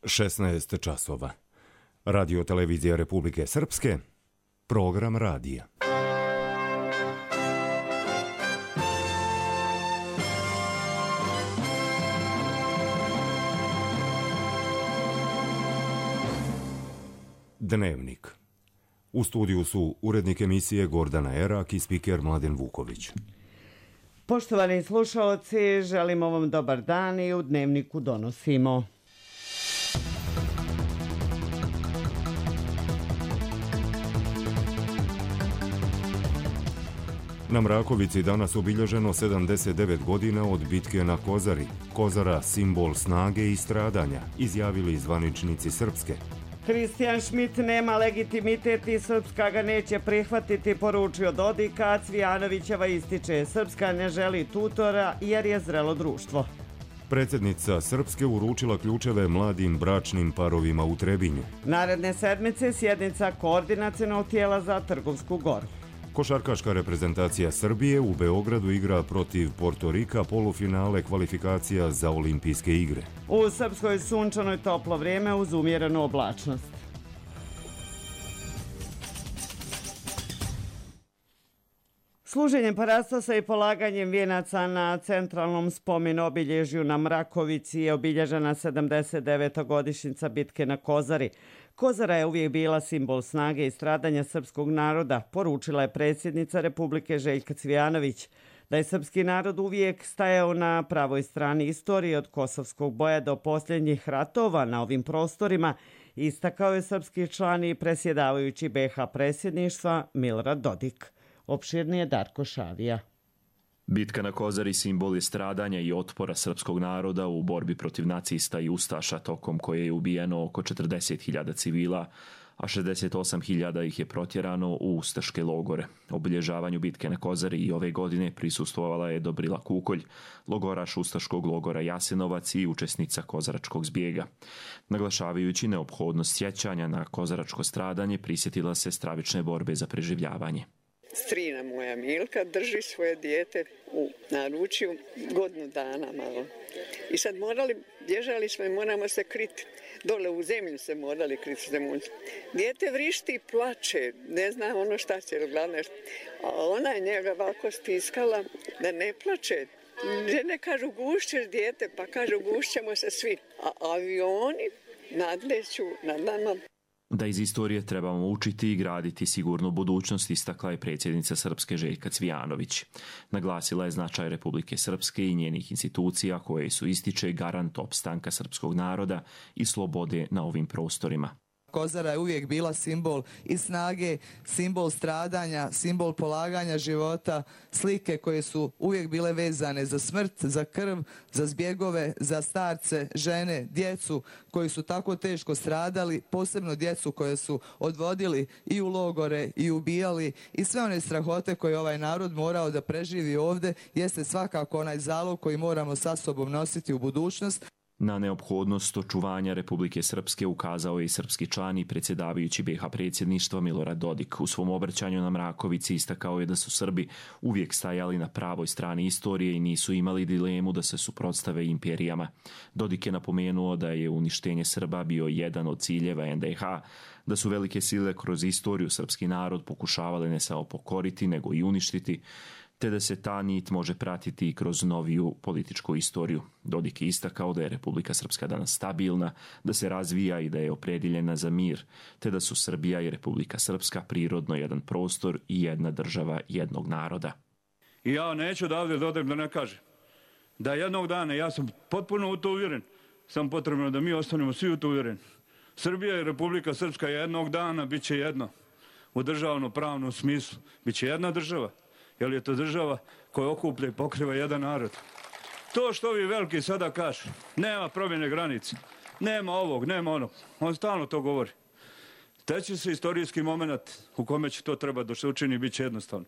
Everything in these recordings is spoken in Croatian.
16 časova. Radio televizija Republike Srpske, program radija. Dnevnik. U studiju su urednik emisije Gordana Erak i spiker Mladen Vuković. Poštovani slušaoci, želimo vam dobar dan i u Dnevniku donosimo. Na Mrakovici danas obilježeno 79 godina od bitke na Kozari. Kozara, simbol snage i stradanja, izjavili zvaničnici Srpske. Kristijan Šmit nema legitimitet i Srpska ga neće prihvatiti, poručio Dodik, a Cvijanovićeva ističe: Srpska ne želi tutora jer je zrelo društvo. Predsjednica Srpske uručila ključeve mladim bračnim parovima u Trebinju. Naredne sedmice sjednica koordinacionog tijela za Trgovsku Goru. Košarkaška reprezentacija Srbije u Beogradu igra protiv Portorika polufinale kvalifikacija za olimpijske igre. U Srpskoj sunčano i toplo vrijeme uz umjerenu oblačnost. Služenjem parastosa i polaganjem vijenaca na centralnom spomen obilježju na Mrakovici je obilježena 79. godišnjica bitke na Kozari. Kozara je uvijek bila simbol snage i stradanja srpskog naroda, poručila je predsjednica Republike Željka Cvijanović. Da je srpski narod uvijek stajao na pravoj strani istorije od kosovskog boja do posljednjih ratova na ovim prostorima, istakao je srpski član i predsjedavajući BiH predsjedništva Milorad Dodik. Opširnije Darko Šavija. Bitka na Kozari simbol je stradanja i otpora srpskog naroda u borbi protiv nacista i ustaša, tokom koje je ubijeno oko 40.000 civila, a 68.000 ih je protjerano u ustaške logore. Obilježavanju bitke na Kozari i ove godine prisustvovala je Dobrila Kukolj, logoraš ustaškog logora Jasenovac i učesnica kozaračkog zbjega. Naglašavajući neophodnost sjećanja na kozaračko stradanje, prisjetila se stravične borbe za preživljavanje. Strina moja Milka drži svoje dijete u naručju godinu dana malo. I sad bježali smo i moramo se kriti. Dole u zemlju se morali kriti. Dijete vrišti i plače, ne zna ono šta će, glavno. A ona je njega ovako stiskala da ne plače. Žene kažu gušćeš dijete, pa kažu gušćemo se svi. A avioni nadleću nad nama. Da iz istorije trebamo učiti i graditi sigurnu budućnost, istakla je predsjednica Srpske Željka Cvijanović. Naglasila je značaj Republike Srpske i njenih institucija koje su ističe garant opstanka srpskog naroda i slobode na ovim prostorima. Kozara je uvijek bila simbol i snage, simbol stradanja, simbol polaganja života, slike koje su uvijek bile vezane za smrt, za krv, za zbjegove, za starce, žene, djecu koji su tako teško stradali, posebno djecu koje su odvodili i u logore i ubijali, i sve one strahote koje ovaj narod morao da preživi ovdje jeste svakako onaj zalog koji moramo sa sobom nositi u budućnost. Na neophodnost očuvanja Republike Srpske ukazao je i srpski član i predsjedavajući BiH predsjedništva Milorad Dodik. U svom obraćanju na Mrakovici istakao je da su Srbi uvijek stajali na pravoj strani istorije i nisu imali dilemu da se suprotstave imperijama. Dodik je napomenuo da je uništenje Srba bio jedan od ciljeva NDH, da su velike sile kroz istoriju srpski narod pokušavale ne samo pokoriti nego i uništiti, te da se ta nit može pratiti i kroz noviju političku istoriju. Dodik je istakao da je Republika Srpska danas stabilna, da se razvija i da je opredjeljena za mir, te da su Srbija i Republika Srpska prirodno jedan prostor i jedna država jednog naroda. I ja neću da ovdje dodam da ne kažem da jednog dana, ja sam potpuno u to uvjeren, sam potrebno da mi ostanemo svi u to uvjereni. Srbija i Republika Srpska jednog dana bit će jedno, u državno-pravnom smislu, bit će jedna država. Jer je to država koja okuplja i pokriva jedan narod. To što ovi veliki sada kažu, nema promjene granice, nema ovog, nema onog, on stalno to govori. Te će se istorijski moment u kome će to treba da se učini bit će jednostavno.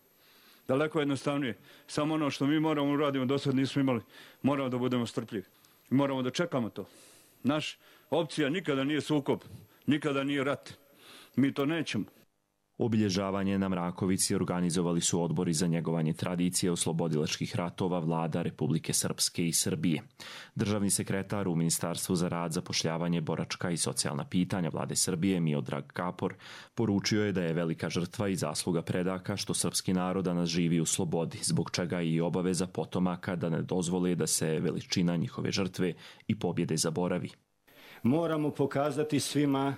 Daleko jednostavnije. Samo ono što mi moramo uraditi, do sad nismo imali, moramo da budemo strpljivi. Moramo da čekamo to. Naš opcija nikada nije sukob, nikada nije rat. Mi to nećemo. Obilježavanje na Mrakovici organizovali su odbori za njegovanje tradicije oslobodilačkih ratova vlada Republike Srpske i Srbije. Državni sekretar u Ministarstvu za rad, zapošljavanje, boračka i socijalna pitanja vlade Srbije Miodrag Kapor poručio je da je velika žrtva i zasluga predaka što srpski narod danas živi u slobodi, zbog čega i obaveza potomaka da ne dozvole da se veličina njihove žrtve i pobjede zaboravi. Moramo pokazati svima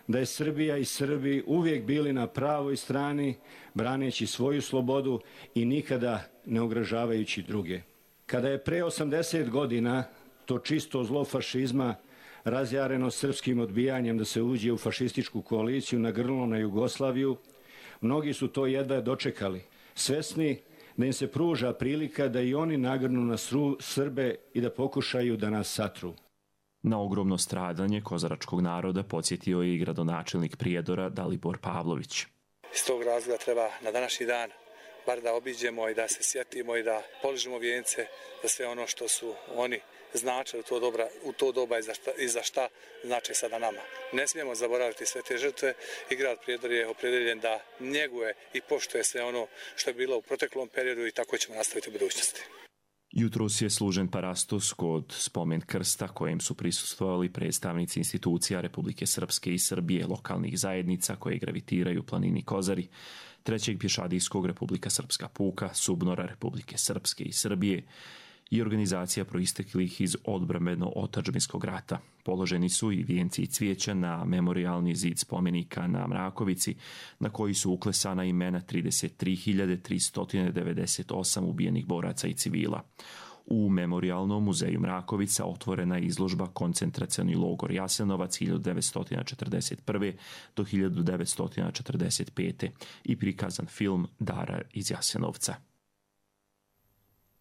da je Srbija i Srbi uvijek bili na pravoj strani, braneći svoju slobodu i nikada ne ugrožavajući druge. Kada je pre 80 godina to čisto zlo fašizma razjareno srpskim odbijanjem da se uđe u fašističku koaliciju nagrnulo na Jugoslaviju, mnogi su to jedva dočekali, svesni da im se pruža prilika da i oni nagrnu na Srbe i da pokušaju da nas satru. Na ogromno stradanje kozaračkog naroda podsjetio je i gradonačelnik Prijedora Dalibor Pavlović. Iz tog razloga treba na današnji dan bar da obiđemo i da se sjetimo i da poližemo vijence za sve ono što su oni značili u to doba i za šta znače sada nama. Ne smijemo zaboraviti sve te žrtve i grad Prijedor je opredeljen da njeguje i poštuje sve ono što je bilo u proteklom periodu i tako ćemo nastaviti u budućnosti. Jutros je služen parastos kod spomen krsta kojem su prisustvovali predstavnici institucija Republike Srpske i Srbije, lokalnih zajednica koje gravitiraju planini Kozari, Trećeg pješadijskog Republika Srpska puka, Subnora Republike Srpske i Srbije i organizacija proisteklih iz odbrambeno-otadžbinskog rata. Položeni su i vijenci i cvijeća na memorijalni zid spomenika na Mrakovici, na koji su uklesana imena 33.398 ubijenih boraca i civila. U Memorijalnom muzeju Mrakovica otvorena je izložba Koncentracioni logor Jasenovac 1941. do 1945. i prikazan film Dara iz Jasenovca.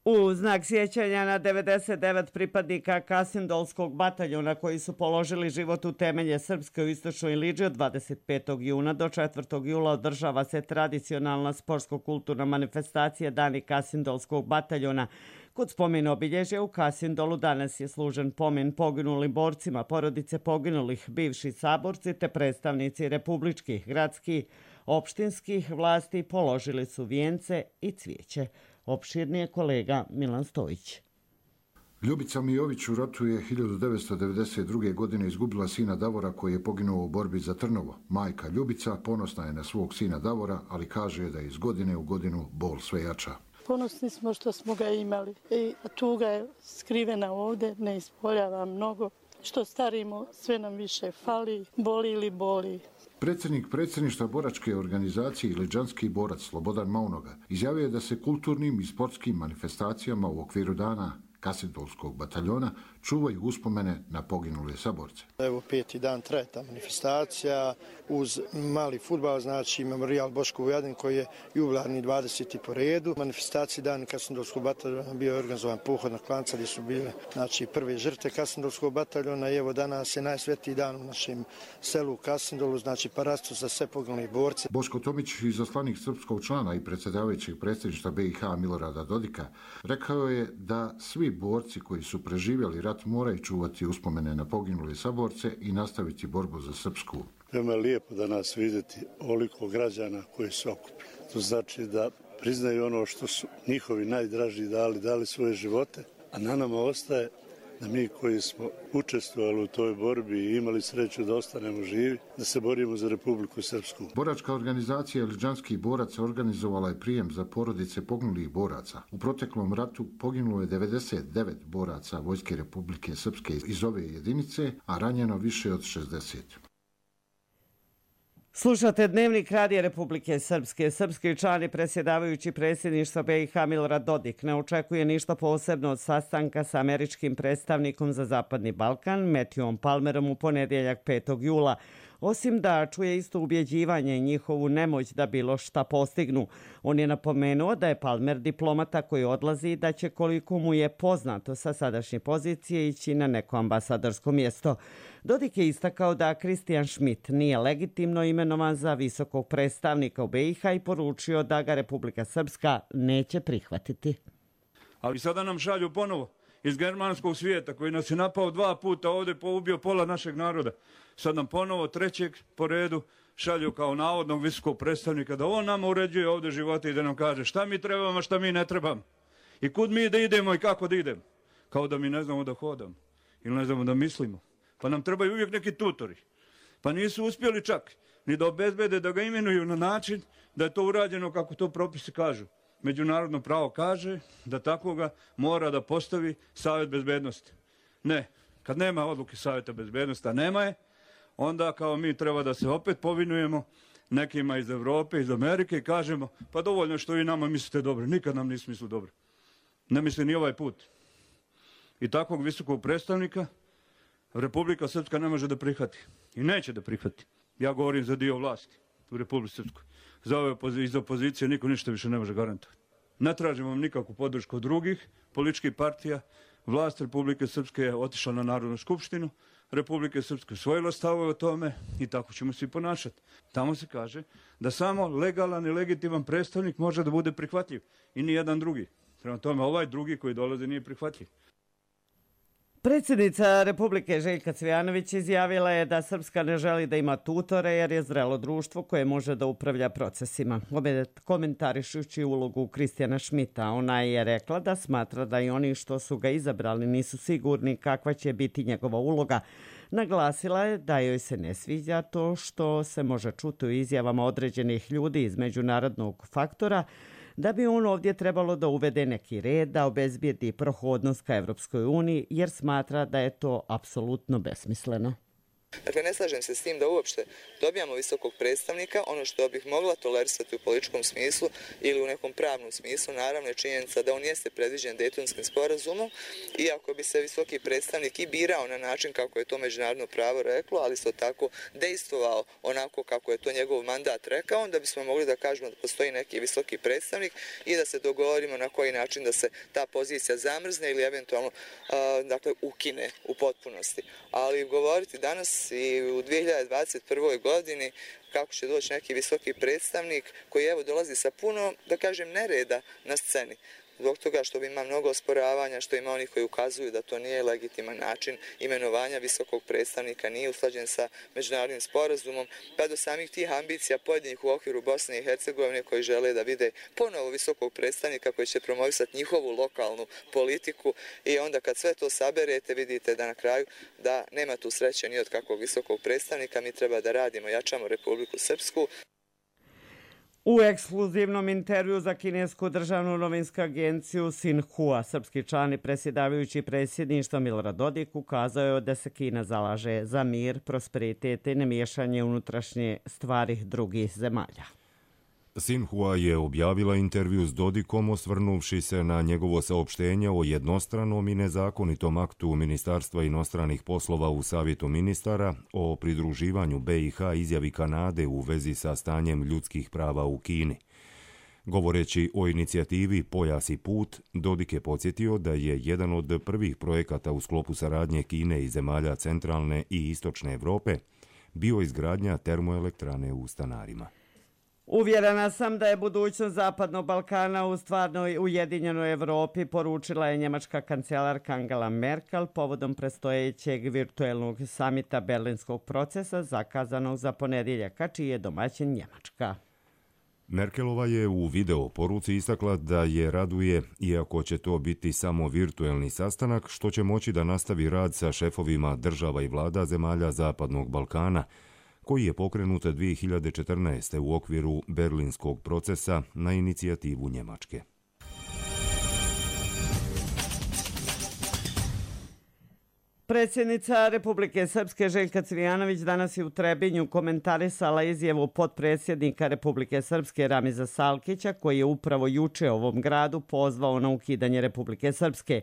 U znak sjećanja na 99 pripadnika Kasindolskog bataljona koji su položili život u temelje Srpske u istočnoj Iliđi od 25. juna do 4. jula održava se tradicionalna sportsko-kulturna manifestacija Dani Kasindolskog bataljona. Kod spomen obilježja u Kasindolu danas je služen pomen poginulim borcima, porodice poginulih, bivši saborci te predstavnici republičkih, gradskih, opštinskih vlasti položili su vijence i cvijeće. Opširnije kolega Milan Stojić. Ljubica Mijović u ratu je 1992. godine izgubila sina Davora koji je poginuo u borbi za Trnovo. Majka Ljubica ponosna je na svog sina Davora, ali kaže da je iz godine u godinu bol sve jača. Ponosni smo što smo ga imali i tuga je skrivena ovdje, ne ispoljava mnogo. Što starimo, sve nam više fali, boli ili boli. Predsjednik predsjedništva boračke organizacije Iliđanski borac Slobodan Maunoga izjavio je da se kulturnim i sportskim manifestacijama u okviru dana Kasindolskog bataljona čuvaju uspomene na poginule saborce. Evo 5. dan traje ta manifestacija uz mali fudbal, znači Memorijal Boško Vujadin koji je jubilarni 20. po redu. Manifestacija dan Kasindolskog bataljona bio je organizovan pohod na Klanca gdje su bile prve žrtve Kasindolskog bataljona i evo danas je najsvetiji dan u našem selu Kasindolu, znači parastos za sve poginule borce. Boško Tomić, izaslanik srpskog člana i predsjedavajućeg predsjedništva BiH Milorada Dodika, rekao je da svi borci koji su preživjeli rat moraju čuvati uspomene na poginule saborce i nastaviti borbu za Srpsku. Veoma je lijepo da nas vidjeti oliko građana koji su okupili. To znači da priznaju ono što su njihovi najdraži dali svoje živote, a na nama ostaje da mi koji smo učestvovali u toj borbi i imali sreću da ostanemo živi, da se borimo za Republiku Srpsku. Boračka organizacija Iliđanski borac organizovala je prijem za porodice poginulih boraca. U proteklom ratu poginulo je 99 boraca Vojske Republike Srpske iz ove jedinice, a ranjeno više od 60. Slušate Dnevnik Radija Republike Srpske. Srpski član i predsjedavajući predsjedništva BiH Milorad Dodik ne očekuje ništa posebno od sastanka sa američkim predstavnikom za Zapadni Balkan, Matthewom Palmerom u ponedjeljak 5. jula. Osim da čuje isto ubjeđivanje i njihovu nemoć da bilo šta postignu. On je napomenuo da je Palmer diplomata koji odlazi i da će, koliko mu je poznato sa sadašnje pozicije, ići na neko ambasadorsko mjesto. Dodik je istakao da Christian Schmidt nije legitimno imenovan za visokog predstavnika u BiH i poručio da ga Republika Srpska neće prihvatiti. Ali sada nam šalju ponovo iz germanskog svijeta koji nas je napao 2 puta ovdje, ubio pola našeg naroda. Sad nam ponovo 3. po redu šalju kao navodnog visokog predstavnika da on nama uređuje ovdje živote i da nam kaže šta mi trebamo, šta mi ne trebamo. I kud mi da idemo i kako da idemo. Kao da mi ne znamo da hodamo ili ne znamo da mislimo. Pa nam trebaju uvijek neki tutori. Pa nisu uspjeli čak ni da obezbede da ga imenuju na način da je to urađeno kako to propisi kažu. Međunarodno pravo kaže da takvoga mora da postavi Savjet bezbednosti. Ne, kad nema odluke Savjeta bezbednosti, a nema je, onda kao mi treba da se opet povinujemo nekima iz Evrope, iz Amerike i kažemo pa dovoljno što vi nama mislite dobro, nikad nam nisu mislili dobro. Ne misli ni ovaj put. I takvog visokog predstavnika Republika Srpska ne može da prihvati. I neće da prihvati. Ja govorim za dio vlasti u Republici Srpskoj. Za ove iz opozicije niko ništa više ne može garantovati. Ne tražimo vam nikakvu podršku od drugih političkih partija. Vlast Republike Srpske je otišla na Narodnu skupštinu. Republike Srpske usvojila stavove o tome i tako ćemo se i ponašati. Tamo se kaže da samo legalan i legitiman predstavnik može da bude prihvatljiv i ni jedan drugi. Prema tome, ovaj drugi koji dolaze nije prihvatljiv. Predsjednica Republike Željka Cvijanović izjavila je da Srpska ne želi da ima tutore jer je zrelo društvo koje može da upravlja procesima. Komentarišući ulogu Kristijana Šmita, ona je rekla da smatra da i oni što su ga izabrali nisu sigurni kakva će biti njegova uloga. Naglasila je da joj se ne sviđa to što se može čuti u izjavama određenih ljudi iz međunarodnog faktora, da bi on ovdje trebalo da uvede neki red, da obezbijedi prohodnost ka Evropskoj uniji, jer smatra da je to apsolutno besmisleno. Dakle, ne slažem se s tim da uopšte dobijamo visokog predstavnika. Ono što bih mogla tolerisati u političkom smislu ili u nekom pravnom smislu, naravno je činjenica da on jeste predviđen Dejtonskim sporazumom, iako bi se visoki predstavnik i birao na način kako je to međunarodno pravo reklo, ali isto tako dejstvovao onako kako je to njegov mandat rekao, onda bismo mogli da kažemo da postoji neki visoki predstavnik i da se dogovorimo na koji način da se ta pozicija zamrzne ili eventualno ukine u potpunosti. Ali govoriti danas i u 2021. godini kako će doći neki visoki predstavnik koji evo dolazi sa puno, da kažem, nereda na sceni. Zbog toga što ima mnogo osporavanja, što ima onih koji ukazuju da to nije legitiman način imenovanja visokog predstavnika, nije usklađen sa međunarodnim sporazumom, pa do samih tih ambicija pojedinih u okviru Bosne i Hercegovine koji žele da vide ponovo visokog predstavnika koji će promovisati njihovu lokalnu politiku i onda kad sve to saberete vidite da na kraju da nema tu sreće ni od kakvog visokog predstavnika, mi treba da radimo, jačamo Republiku Srpsku. U ekskluzivnom intervju za kinesku državnu novinsku agenciju Xinhua, srpski član i predsjedavajući predsjedništva Milorad Dodik ukazao je da se Kina zalaže za mir, prosperitet i nemiješanje unutrašnje stvari drugih zemalja. Xinhua je objavila intervju s Dodikom osvrnuvši se na njegovo saopštenje o jednostranom i nezakonitom aktu Ministarstva inostranih poslova u Savjetu ministara o pridruživanju BiH izjavi Kanade u vezi sa stanjem ljudskih prava u Kini. Govoreći o inicijativi Pojas i put, Dodik je podsjetio da je jedan od prvih projekata u sklopu saradnje Kine i zemalja centralne i istočne Evrope bio izgradnja termoelektrane u Stanarima. Uvjerena sam da je budućnost Zapadnog Balkana u stvarnoj ujedinjenoj Evropi, poručila je njemačka kancelarka Angela Merkel povodom predstojećeg virtuelnog samita Berlinskog procesa zakazanog za ponedjeljak, čiji je domaćin Njemačka. Merkelova je u video poruci istakla da je raduje, iako će to biti samo virtuelni sastanak, što će moći da nastavi rad sa šefovima država i vlada zemalja Zapadnog Balkana, koji je pokrenut 2014. u okviru Berlinskog procesa na inicijativu Njemačke. Predsjednica Republike Srpske Željka Cvijanović danas je u Trebinju komentarisala izjavu potpredsjednika Republike Srpske Ramiza Salkića, koji je upravo juče ovom gradu pozvao na ukidanje Republike Srpske.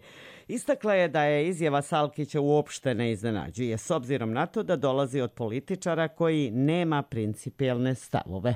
Istakla je da je izjava Salkića uopšte ne iznenađuje, s obzirom na to da dolazi od političara koji nema principijelne stavove.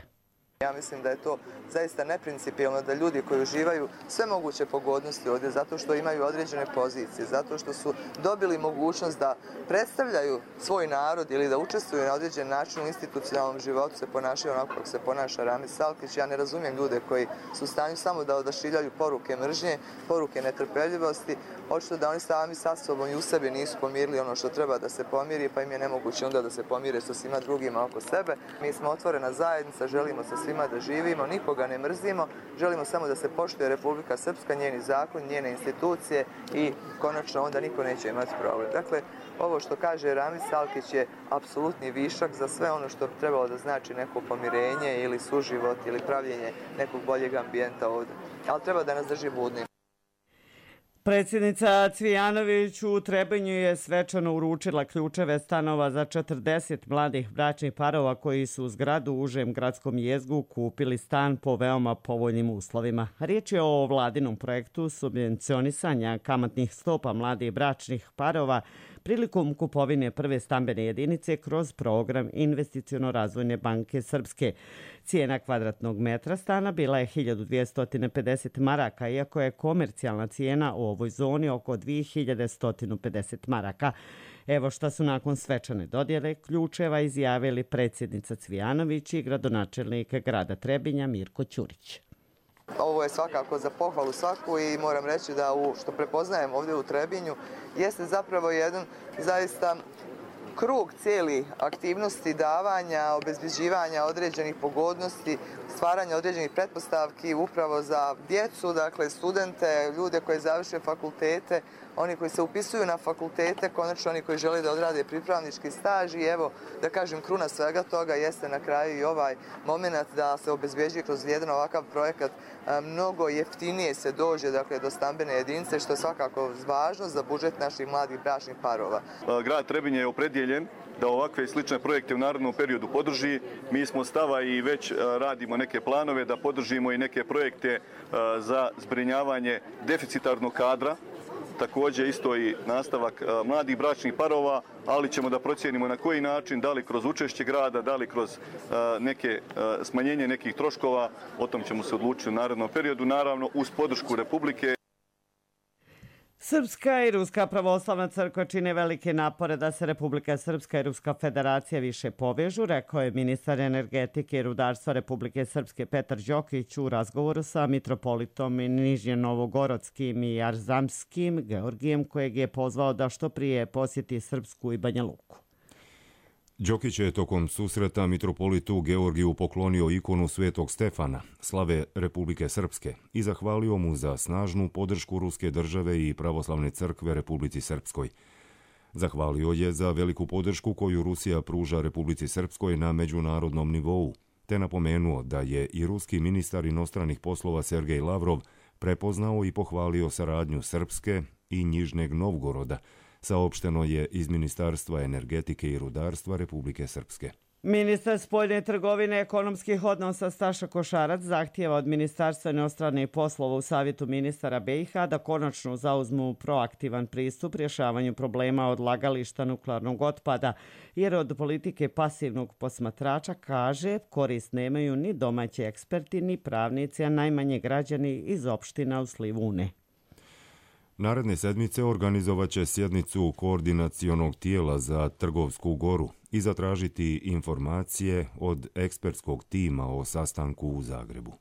Ja mislim da je to zaista neprincipijelno da ljudi koji uživaju sve moguće pogodnosti ovdje zato što imaju određene pozicije, zato što su dobili mogućnost da predstavljaju svoj narod ili da učestvuju na određen način u institucionalnom životu, se ponašaju onako kako se ponaša Ramiz Salkić. Ja ne razumijem ljude koji su u stanju samo da odašiljaju poruke mržnje, poruke netrpeljivosti, očito da oni sami sa sobom i u sebi nisu pomirili ono što treba da se pomiri, pa im je nemoguće onda da se pomire sa svima drugima oko sebe. Mi smo otvorena zajednica, želimo sa svima da živimo, nikoga ne mrzimo, želimo samo da se poštuje Republika Srpska, njeni zakon, njene institucije i konačno onda niko neće imati problem. Dakle, ovo što kaže Ramiz Salkić je apsolutni višak za sve ono što bi trebalo da znači neko pomirenje ili suživot ili pravljenje nekog boljeg ambijenta ovdje. Ali treba da nas drži budnim. Predsjednica Cvijanović u Trebinju je svečano uručila ključeve stanova za 40 mladih bračnih parova koji su u zgradu u užem gradskom jezgu kupili stan po veoma povoljnim uslovima. Riječ je o vladinom projektu subvencionisanja kamatnih stopa mladih bračnih parova prilikom kupovine prve stambene jedinice kroz program Investiciono-razvojne banke Srpske. Cijena kvadratnog metra stana bila je 1250 maraka, iako je komercijalna cijena u ovoj zoni oko 2150 maraka. Evo šta su nakon svečane dodjele ključeva izjavili predsjednica Cvijanović i gradonačelnik grada Trebinja Mirko Ćurić. Ovo je svakako za pohvalu svaku i moram reći da što prepoznajem ovdje u Trebinju jeste zapravo jedan zaista krug cijeli aktivnosti davanja, obezbeđivanja određenih pogodnosti, stvaranja određenih pretpostavki upravo za djecu, dakle studente, ljude koji završe fakultete, oni koji se upisuju na fakultete, konačno oni koji žele da odrade pripravnički staž i evo, da kažem, kruna svega toga jeste na kraju i ovaj moment da se obezbeđuje kroz jedan ovakav projekat mnogo jeftinije se dođe dakle, do stambene jedinice, što je svakako važno za budžet naših mladih bračnih parova. Grad Trebinje je opredjeljen da ovakve i slične projekte u narednom periodu podrži. Mi smo stava i već radimo neke planove da podržimo i neke projekte za zbrinjavanje deficitarnog kadra. Također isto i nastavak mladih bračnih parova, ali ćemo da procijenimo na koji način, da li kroz učešće grada, da li kroz smanjenje nekih troškova, o tom ćemo se odlučiti u narednom periodu, naravno uz podršku Republike. Srpska i Ruska pravoslavna crkva čine velike napore da se Republika Srpska i Ruska federacija više povežu, rekao je ministar energetike i rudarstva Republike Srpske Petar Đokić u razgovoru sa mitropolitom Nižnje-Novogorodskim i Arzamskim Georgijem, kojeg je pozvao da što prije posjeti Srpsku i Banja Luku. Đokić je tokom susreta mitropolitu Georgiju poklonio ikonu Svetog Stefana, slave Republike Srpske, i zahvalio mu za snažnu podršku ruske države i pravoslavne crkve Republici Srpskoj. Zahvalio je za veliku podršku koju Rusija pruža Republici Srpskoj na međunarodnom nivou, te napomenuo da je i ruski ministar inostranih poslova Sergej Lavrov prepoznao i pohvalio saradnju Srpske i Nižnjeg Novgoroda, saopšteno je iz Ministarstva energetike i rudarstva Republike Srpske. Ministar spoljne trgovine i ekonomskih odnosa Staša Košarac zahtijeva od Ministarstva inostranih poslova u Savjetu ministara BiH da konačno zauzmu proaktivan pristup rješavanju problema odlagališta nuklearnog otpada, jer od politike pasivnog posmatrača, kaže, korist nemaju ni domaći eksperti, ni pravnici, a najmanje građani iz opština u slivu Une. Naredne sedmice organizovat će sjednicu koordinacionog tijela za Trgovsku goru i zatražiti informacije od ekspertskog tima o sastanku u Zagrebu.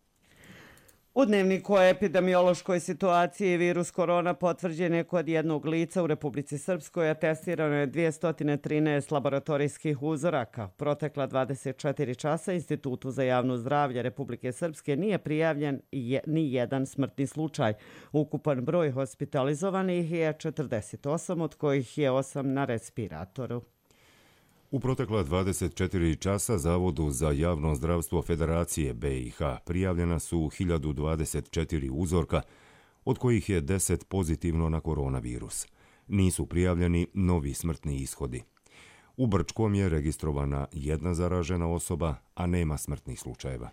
U dnevniku o epidemiološkoj situaciji virus korona potvrđen je kod jednog lica u Republici Srpskoj, a testirano je 213 laboratorijskih uzoraka. Protekla 24 časa Institutu za javno zdravlje Republike Srpske nije prijavljen ni jedan smrtni slučaj. Ukupan broj hospitalizovanih je 48, od kojih je 8 na respiratoru. U protekla 24 časa Zavodu za javno zdravstvo Federacije BiH prijavljena su 1024 uzorka, od kojih je 10 pozitivno na koronavirus. Nisu prijavljeni novi smrtni ishodi. U Brčkom je registrovana jedna zaražena osoba, a nema smrtnih slučajeva.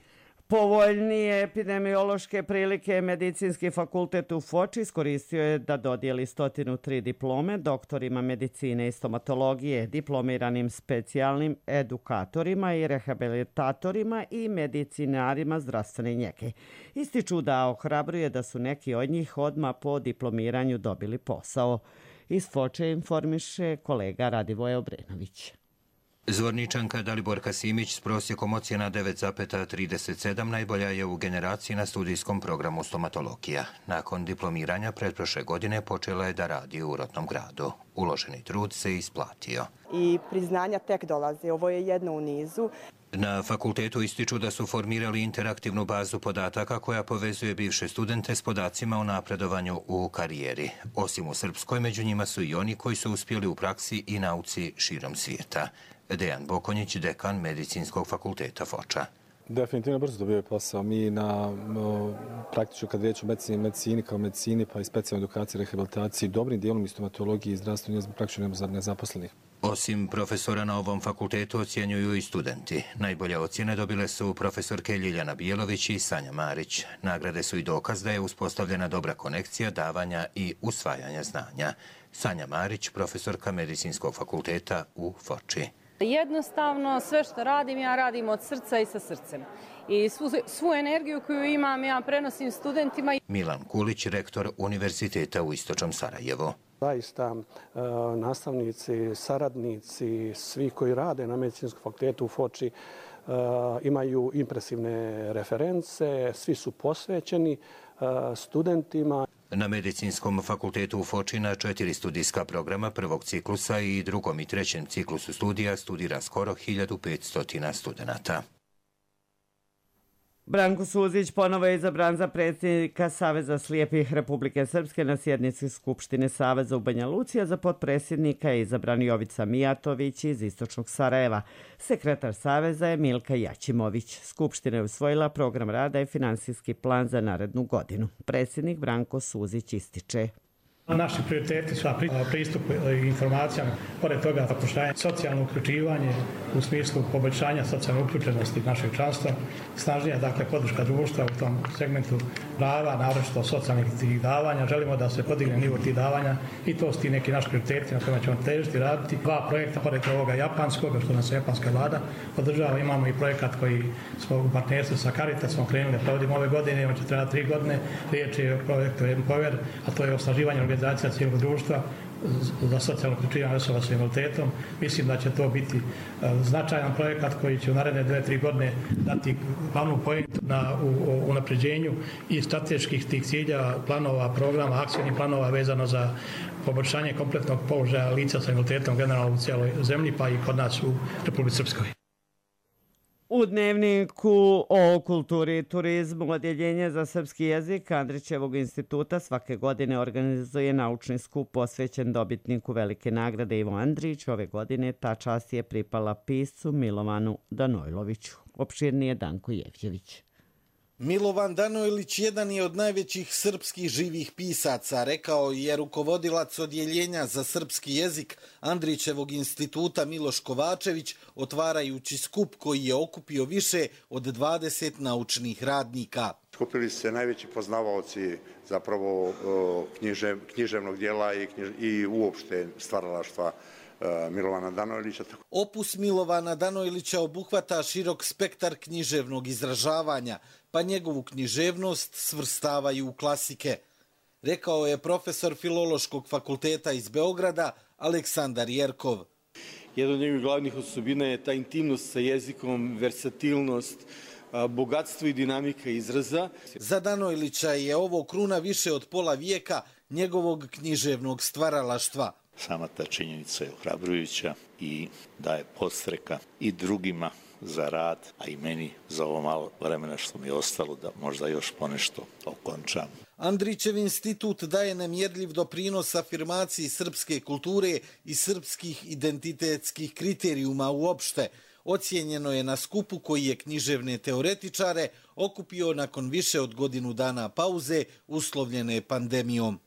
Povoljnije epidemiološke prilike Medicinski fakultet u Foči iskoristio je da dodijeli 103 diplome doktorima medicine i stomatologije, diplomiranim specijalnim edukatorima i rehabilitatorima i medicinarima zdravstvene njege. Ističu da ohrabruje da su neki od njih odmah po diplomiranju dobili posao. Iz Foče informiše kolega Radivoje Obrenović. Zvorničanka Daliborka Simić s prosjekom ocjena 9,37 najbolja je u generaciji na studijskom programu stomatologija. Nakon diplomiranja pretprošle godine počela je da radi u rodnom gradu. Uloženi trud se isplatio. I priznanja tek dolaze, ovo je jedno u nizu. Na fakultetu ističu da su formirali interaktivnu bazu podataka koja povezuje bivše studente s podacima o napredovanju u karijeri. Osim u Srpskoj, među njima su i oni koji su uspjeli u praksi i nauci širom svijeta. Dejan Bokonjić, dekan Medicinskog fakulteta Foča. Definitivno brzo dobijaju posao. Mi praktično kad riječ o medicini kao medicini pa i specijalnoj edukaciji, rehabilitaciji, dobrim dijelom i stomatologiji i zdravstvenoj praktično nezaposlenih. Osim profesora na ovom fakultetu ocjenjuju i studenti. Najbolje ocjene dobile su profesorke Ljiljana Bijelović i Sanja Marić. Nagrade su i dokaz da je uspostavljena dobra konekcija davanja i usvajanja znanja. Sanja Marić, profesorka Medicinskog fakulteta u Foči. Jednostavno, sve što radim, ja radim od srca i sa srcem. I svu energiju koju imam, ja prenosim studentima. Milan Kulić, rektor Univerziteta u Istočnom Sarajevu. Zaista nastavnici, saradnici, svi koji rade na Medicinskom fakultetu u Foči imaju impresivne reference, svi su posvećeni studentima. Na Medicinskom fakultetu u Foči na 4 studijska programa prvog ciklusa i drugom i trećem ciklusu studija studira skoro 1500 studenata. Branko Suzić ponovo je izabran za predsjednika Saveza slijepih Republike Srpske na sjednici Skupštine Saveza u Banja Luci, a za potpredsjednika je izabran Jovica Mijatović iz Istočnog Sarajeva. Sekretar Saveza je Milka Jaćimović. Skupština je usvojila program rada i finansijski plan za narednu godinu. Predsjednik Branko Suzić ističe. Naši prioriteti su pristup informacijama, pored toga zapošljavanje, socijalno uključivanje u smislu poboljšanja socijalne uključenosti našeg članstva, snažnija podrška društva u tom segmentu prava, naročito socijalnih davanja. Želimo da se podigne nivo tih davanja i to su ti neki naši prioriteti na kojima ćemo težiti raditi. 2 projekta, pored ovoga japanskog, što nas japanska vlada podržava, imamo i projekat koji smo u partnerstvu sa Caritasom krenuli da provodimo ove godine, on će trebati 3 godine. Riječ je o projektu Empower, a to je osnaživanje organizacija cijelog društva za socijalno uključivanje osoba s invaliditetom. Mislim da će to biti značajan projekat koji će u naredne 2-3 godine dati glavnu pojentu na unapređenju i strateških tih cilja, planova, programa, akcijnih planova vezano za poboljšanje kompletnog položaja lica sa invaliditetom generalno u cijeloj zemlji, pa i kod nas u Republici Srpskoj. U dnevniku o kulturi i turizmu Odjeljenje za srpski jezik Andrićevog instituta svake godine organizuje naučni skup posvećen dobitniku velike nagrade Ivo Andrić. Ove godine ta čast je pripala piscu Milovanu Danojloviću. Opširnije Danko Jevđević. Milovan Danojlić jedan je od najvećih srpskih živih pisaca, rekao je rukovodilac Odjeljenja za srpski jezik Andrićevog instituta Miloš Kovačević, otvarajući skup koji je okupio više od 20 naučnih radnika. Skupili se najveći poznavaoci zapravo književnog dijela i uopšte stvaralaštva Milovana Danojlića. Opus Milovana Danojlića obuhvata širok spektar književnog izražavanja, pa njegovu književnost svrstavaju u klasike, rekao je profesor Filološkog fakulteta iz Beograda Aleksandar Jerkov. Jedna od njegovih glavnih osobina je ta intimnost sa jezikom, versatilnost, bogatstvo i dinamika izraza. Za Danojlića je ovo kruna više od pola vijeka njegovog književnog stvaralaštva. Sama ta činjenica je ohrabrujuća i daje podstreka i drugima za rad, a i meni za ovo malo vremena što mi je ostalo da možda još ponešto okončam. Andrićev institut daje nemjerljiv doprinos afirmaciji srpske kulture i srpskih identitetskih kriterijuma uopšte. Ocijenjeno je na skupu koji je književne teoretičare okupio nakon više od godinu dana pauze uslovljene pandemijom.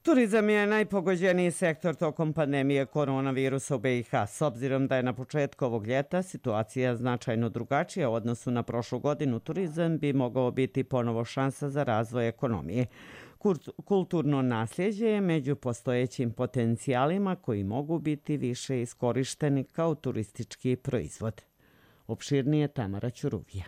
Turizam je najpogođeniji sektor tokom pandemije koronavirusa u BiH. S obzirom da je na početku ovog ljeta situacija značajno drugačija u odnosu na prošlu godinu, turizam bi mogao biti ponovo šansa za razvoj ekonomije. Kulturno nasljeđe je među postojećim potencijalima koji mogu biti više iskorišteni kao turistički proizvod. Opširnije Tamara Ćuruvija.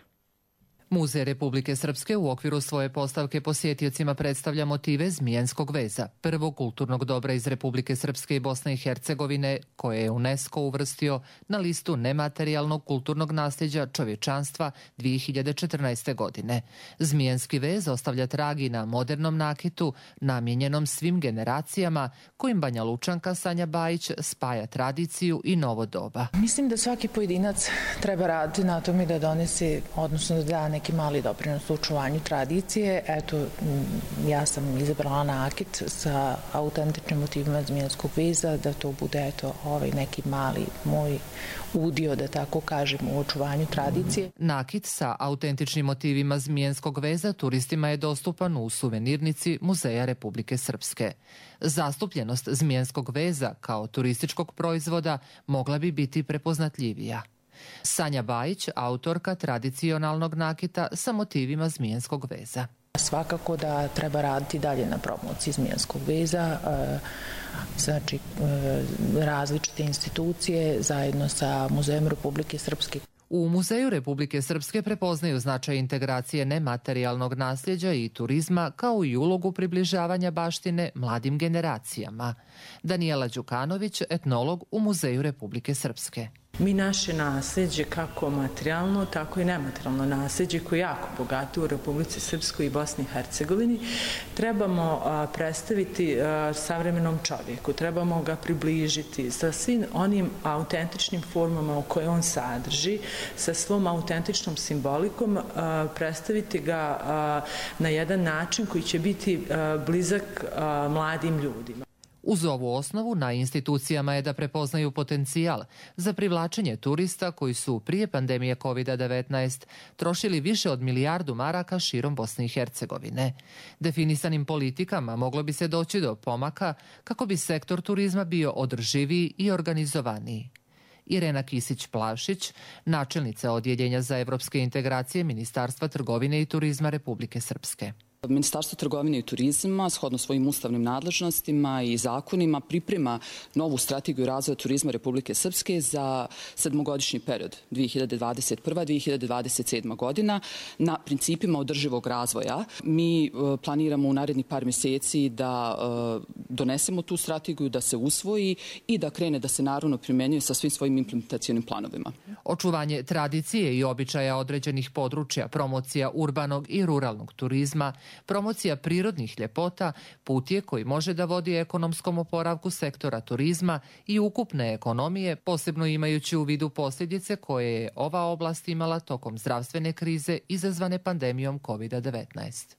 Muzej Republike Srpske u okviru svoje postavke posjetiocima predstavlja motive zmijenskog veza, prvog kulturnog dobra iz Republike Srpske i Bosne i Hercegovine, koje je UNESCO uvrstio na listu nematerijalnog kulturnog nasljeđa čovječanstva 2014. godine. Zmijenski vez ostavlja tragi na modernom nakitu, namijenjenom svim generacijama, kojim Banja Lučanka Sanja Bajić spaja tradiciju i novo doba. Mislim da svaki pojedinac treba raditi na tome da donese, odnosno da da neki mali doprinos u očuvanju tradicije. Eto, ja sam izabrala nakit sa autentičnim motivima zmijenskog veza, da to bude neki mali moj udio, da tako kažem, u očuvanju tradicije. Nakit sa autentičnim motivima zmijenskog veza turistima je dostupan u suvenirnici Muzeja Republike Srpske. Zastupljenost zmijenskog veza kao turističkog proizvoda mogla bi biti prepoznatljivija. Sanja Bajić, autorka tradicionalnog nakita sa motivima zmijenskog veza. Svakako da treba raditi dalje na promociji zmijenskog veza, znači različite institucije zajedno sa Muzejem Republike Srpske. U Muzeju Republike Srpske prepoznaju značaj integracije nematerijalnog nasljeđa i turizma kao i ulogu približavanja baštine mladim generacijama. Danijela Đukanović, etnolog u Muzeju Republike Srpske. Mi naše nasljeđe, kako materijalno, tako i nematerijalno nasljeđe, koje je jako bogato u Republici Srpskoj i Bosni i Hercegovini, trebamo predstaviti savremenom čovjeku, trebamo ga približiti sa svim onim autentičnim formama u koje on sadrži, sa svom autentičnom simbolikom, predstaviti ga na jedan način koji će biti blizak mladim ljudima. Uz ovu osnovu na institucijama je da prepoznaju potencijal za privlačenje turista koji su prije pandemije COVID-19 trošili više od milijardu maraka širom Bosne i Hercegovine. Definisanim politikama moglo bi se doći do pomaka kako bi sektor turizma bio održiviji i organizovaniji. Irena Kisić-Plavšić, načelnica Odjeljenja za evropske integracije Ministarstva trgovine i turizma Republike Srpske. Ministarstvo trgovine i turizma, shodno svojim ustavnim nadležnostima i zakonima, priprema novu strategiju razvoja turizma Republike Srpske za 7-godišnji period 2021-2027 godina na principima održivog razvoja. Mi planiramo u narednih par mjeseci da donesemo tu strategiju, da se usvoji i da krene da se naravno primjenjuje sa svim svojim implementacionim planovima. Očuvanje tradicije i običaja određenih područja, promocija urbanog i ruralnog turizma, promocija prirodnih ljepota put je koji može da vodi ekonomskom oporavku sektora turizma i ukupne ekonomije, posebno imajući u vidu posljedice koje je ova oblast imala tokom zdravstvene krize izazvane pandemijom COVID-19.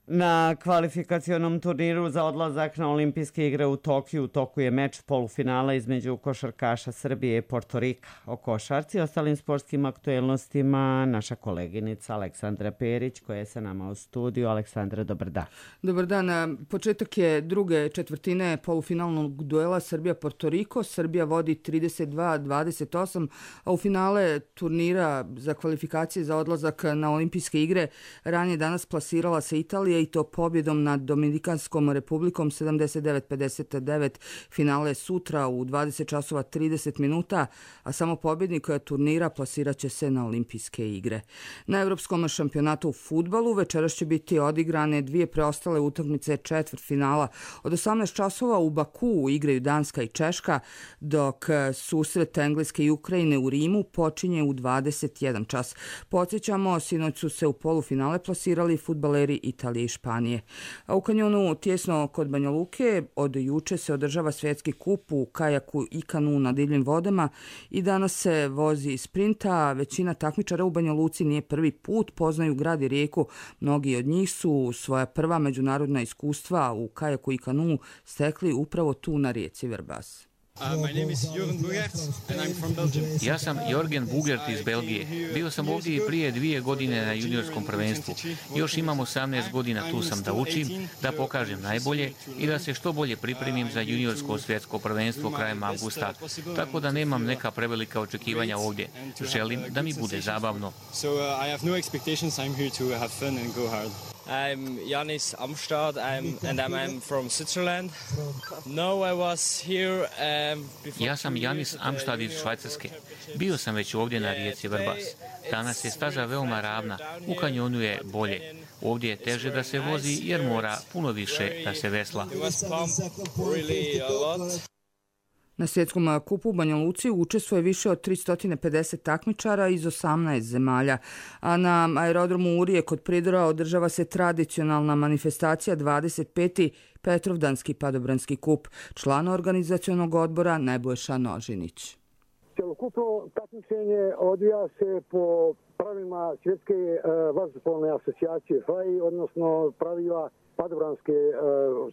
Na kvalifikacionom turniru za odlazak na olimpijske igre u Tokiju u toku je meč polufinala između košarkaša Srbije i Portorika. O košarci i ostalim sportskim aktuelnostima naša koleginica Aleksandra Perić koja je sa nama u studiju. Aleksandra, dobar dan. Dobar dan. Početak je druge četvrtine polufinalnog duela Srbija-Portoriko. Srbija vodi 32-28, a u finale turnira za kvalifikacije za odlazak na olimpijske igre ranije danas plasirala se Italija i to pobjedom nad Dominikanskom republikom 79-59. Finale sutra u 20 časova 30 minuta, a samo pobjednik turnira plasirat će se na olimpijske igre. Na Evropskom šampionatu u fudbalu večeras će biti odigrane dvije preostale utakmice četvrtfinala. Od 18 časova u Bakuu igraju Danska i Češka, dok susret Engleske i Ukrajine u Rimu počinje u 21 čas. Podsjećamo, sinoć su se u polufinale plasirali fudbaleri Italije i Španije. A u kanjonu tjesno kod Banja Luke od juče se održava svjetski kup u kajaku i kanu na divljim vodama i danas se vozi sprinta. Većina takmičara u Banja Luci nije prvi put, poznaju grad i rijeku. Mnogi od njih su svoja prva međunarodna iskustva u kajaku i kanu stekli upravo tu na rijeci Vrbas. Ja sam Jorgen Bugert iz Belgije. Bio sam ovdje i prije 2 godine na juniorskom prvenstvu. Još imam 18 godina, tu sam da učim, da pokažem najbolje i da se što bolje pripremim za juniorsko svjetsko prvenstvo krajem avgusta. Tako da nemam neka prevelika očekivanja ovdje. Želim da mi bude zabavno. I'm Janis Amstad and I'm from Switzerland. No, I was here before. Ja sam Janis Amstad iz Švajcarske. Bio sam već ovdje na rijeci Vrbas. Danas je staza veoma ravna, u kanjonu je bolje. Ovdje je teže da se vozi jer mora puno više da se vesla. Na svjetskom kupu u Banja Luci učestvuje više od 350 takmičara iz 18 zemalja, a na aerodromu Urije kod Pridora održava se tradicionalna manifestacija 25. Petrovdanski padobranski kup, član organizacionog odbora Nebojša Nožinić. Cjelokupno takmičenje odvija se po pravilima Svjetske vazduhoplovne asocijacije FAI, odnosno pravila padobranske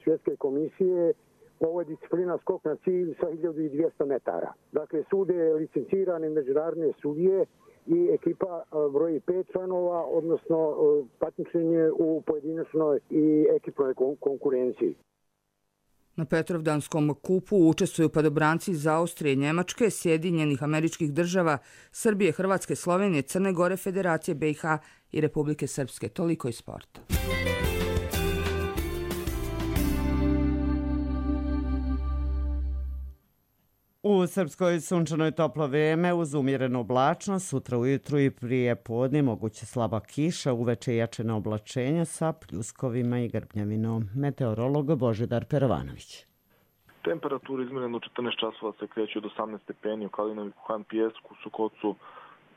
svjetske komisije. Ovo je disciplina skok na cilj sa 1200 metara. Dakle, sude licencirane međunarodne sudije i ekipa broji 5 članova, odnosno takmičenje u pojedinačnoj i ekipnoj konkurenciji. Na Petrovdanskom kupu učestvuju padobranci iz Austrije, Njemačke, Sjedinjenih Američkih Država, Srbije, Hrvatske, Slovenije, Crne Gore, Federacije BiH i Republike Srpske. Toliko iz sporta. U Srpskoj sunčanoj toplo vrijeme uz umjerenu oblačnost, sutra ujutru i prije podne moguće slaba kiša, uveče jačena oblačenja sa pljuskovima i grbnjavinom. Meteorolog Božidar Perovanović. Temperatura izmjerena u 14 časova se kreće od 18 stepeni u Kalinovi, Kuhan, Pijesku, Sukocu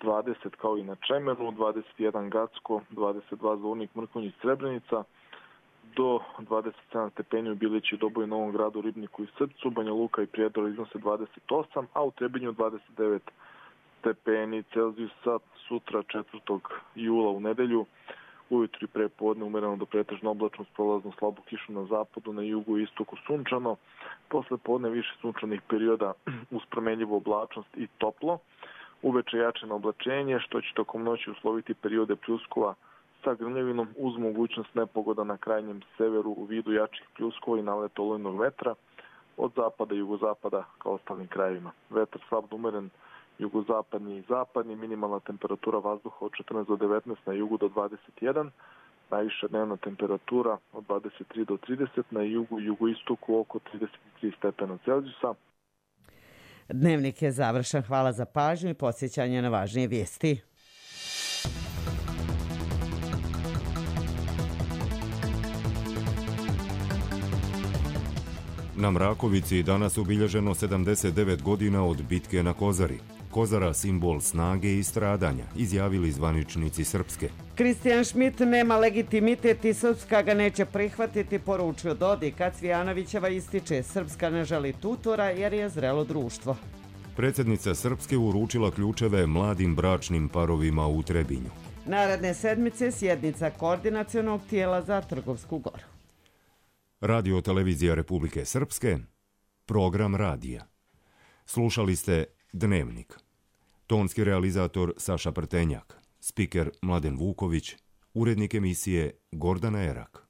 20 kao i na Čemeru, 21 Gacko, 22 Zvornik, Mrkonjić, Srebrenica, do 27 stepeni u Bilići, Doboju, Novom Gradu, Ribniku i Srpcu, Banja Luka i Prijedor iznose 28, a u Trebinju 29 stepeni Celzijusa sutra 4. jula u nedelju. Ujutru i prepodne umereno do pretežno oblačno s prolaznom slabu kišu na zapadu, na jugu i istoku sunčano. Posle podne više sunčanih perioda uz promenljivu oblačnost i toplo. Uveče jačeno oblačenje što će tokom noći usloviti periode pljuskova sa grmljavinom uz mogućnost nepogoda na krajnjem severu u vidu jačih pljuskova i naleta olujnog vetra od zapada i jugozapada kao ostalim krajevima. Vetar slab umeren jugozapadni i zapadni, minimalna temperatura vazduha od 14 do 19, na jugu do 21, najviša dnevna temperatura od 23 do 30, na jugu i jugoistoku oko 33 stepena Celzijusa. Dnevnik je završen. Hvala za pažnju i podsjećanje na važnije vijesti. Na Mrakovici danas obilježeno 79 godina od bitke na Kozari. Kozara simbol snage i stradanja, izjavili zvaničnici Srpske. Kristijan Šmit nema legitimitet i Srpska ga neće prihvatiti, poručio Dodik, a Cvijanovićeva ističe Srpska ne želi tutora jer je zrelo društvo. Predsjednica Srpske uručila ključeve mladim bračnim parovima u Trebinju. Naredne sedmice sjednica koordinacionog tijela za Trgovsku goru. Radio televizija Republike Srpske, program radija. Slušali ste Dnevnik. Tonski realizator Saša Prtenjak, spiker Mladen Vuković, urednik emisije Gordana Erak.